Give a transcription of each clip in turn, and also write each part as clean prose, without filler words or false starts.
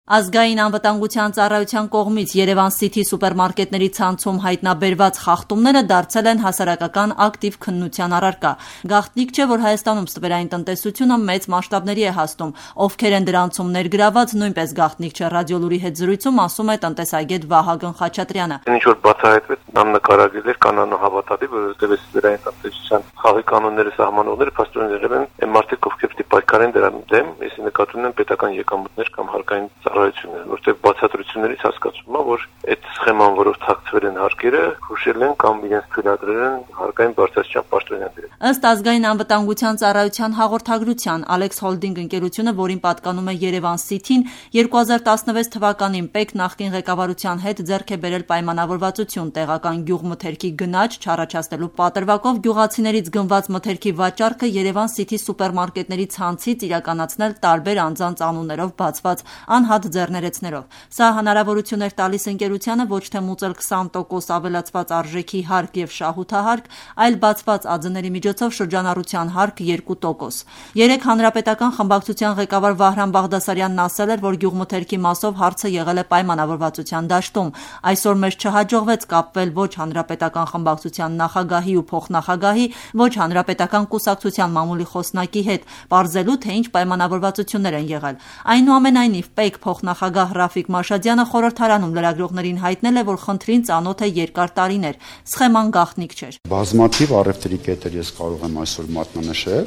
Ազգային անվտանգության ծառայության կողմից Երևան City սուպերմարկետների ցանցում հայտնաբերված խախտումները դարձել են հասարակական ակտիվ քննության առարկա։ Գաղտնիք չէ, որ Հայաստանում ստվերային տնտեսությունը մեծ մասշտաբների է հասնում։ Ովքեր են դրանցում ներգրաված, նույնպես գաղտնիք չէ։ Ռադիոլուրի հետ զրույցում ասում է տնտեսագետ Վահագն Խաչատրյանը։ Ինչ որ բացահայտվեց, աննկարագրել էր կանանահավատալի, որովհետև ստվերային տնտեսության խաղի կանոնները սահմանողները փաստորեն եղել են այն մարդիկ, ովքեր պիտի պայքարեն դրա դեմ, если նկատի ունեն պետական եկամուտներ կամ հարկային ծառայություններ, որտեղ բացատրություններից հասկացվում է, որ այդ սխեման, որով թաքցվել են հարկերը, հուշել են կամ իրենց թույլատրել են հարկային բարձրացման պաշտոնյաները։ Ըստ ազգային անվտանգության ծառայության հաղորդագրության, Alex Holding ընկերությունը, որին պատկանում է Երևան City-ն, 2016 թվականին ՊԵԿ նախկին ղեկավարության հետ ձեռք է բերել պայմանավորվածություն տեղական գյուղմթերքի գնաճ չառաջացնելու պատրվակով գյուղացիներից գնված մթերքի վաճառքը Երևան City սուպերմարկետների ցանցից իրականացնել տարբեր անձանց անուններով բացված անհատ ձեռներեցներով։ Սա հնարավորություն էր տալիս ընկերությանը ոչ թե մուծել 20% ավելացված արժեքի հարկ եւ շահութահարկ, այլ բացված ԱՁ-ների միջոցով շրջանառության հարկ 2%։ Երեք հանրապետական խմբակցության ղեկավար Վահրամ Բաղդասարյանն ասել էր, որ գյուղմթերքի մասով հարցը եղել է պայմանավորվածության դաշտում։ Այսօր մեզ չհաջողվեց կապվել ոչ հանրապետական խմբակցության նախագահի ու փոխնախագահի, ոչ հանրապետական կուսակցության մամուլի խոսնակի հետ, պարզելու թե ինչ պայմանավորվածություններ են եղել։ Այնուամենայնիվ ՊԵԿ փոխնախագահ Ռաֆիկ Մաշադյանը խորհրդարանում լրագրողներին հայտնել է, որ խնդրին ծանոթ է երկար տարիներ, սխեման գաղտնիք չէր։ Բազմաթիվ առևտրի կետեր ես կարող եմ այսօր մատնանշել,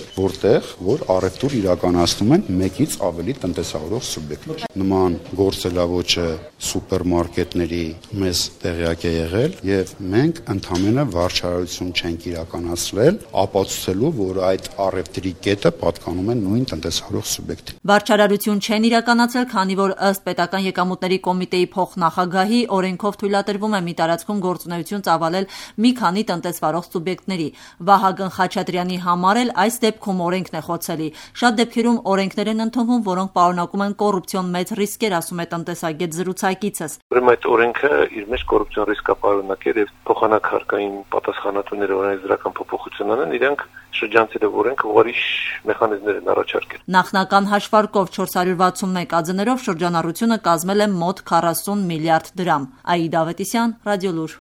որ առևտուր իրականացնում են մեկից ավելի տնտեսավորող սուբյեկտներ։ Նման գործելավոճը սուպերմարկետների մեզ տեղյակ է եղել եւ մենք ընդհանրապես վարչարություն չենք իրականացրել, ապացուցելու, որ այդ առևտրի կետը պատկանում է նույն տնտեսավորող սուբյեկտին։ Վարչարություն չեն իրականացրել, քանի որ ըստ պետական եկամուտների կոմիտեի փոխնախագահի օրենքով թույլատրվում է մի տարածքում գործունեություն ծավալել մի քանի տնտեսվարող սուբյեկտների։ Վահագն Խաչատրյանի համար էլ այս դեպքում օրենքն է խոցելի։ Շատ դեպքերում օրենքներ են ընդունվում, որոնք պարունակում են կոռուպցիոն մեծ ռիսկեր, ասում է տնտեսագետ զրուցակիցս։ Ուրեմն այդ օրենքը իր մեջ կոռուպցիոն ռիսկ պարունակել եւ փոխանակ հարկային պատասխանատուները օրենսդրական փոփոխություն անեն, իրենք շրջանցելով օրենքը ուրիշ մեխանիզմներ են առաջարկել։ Նախնական հաշվարկով 461 ԱԶ-ներով շրջանառությունը կազմել է մոտ 40 միլիարդ դրամ։ Աիդա Ավետիսյան, Ռադիոլուր։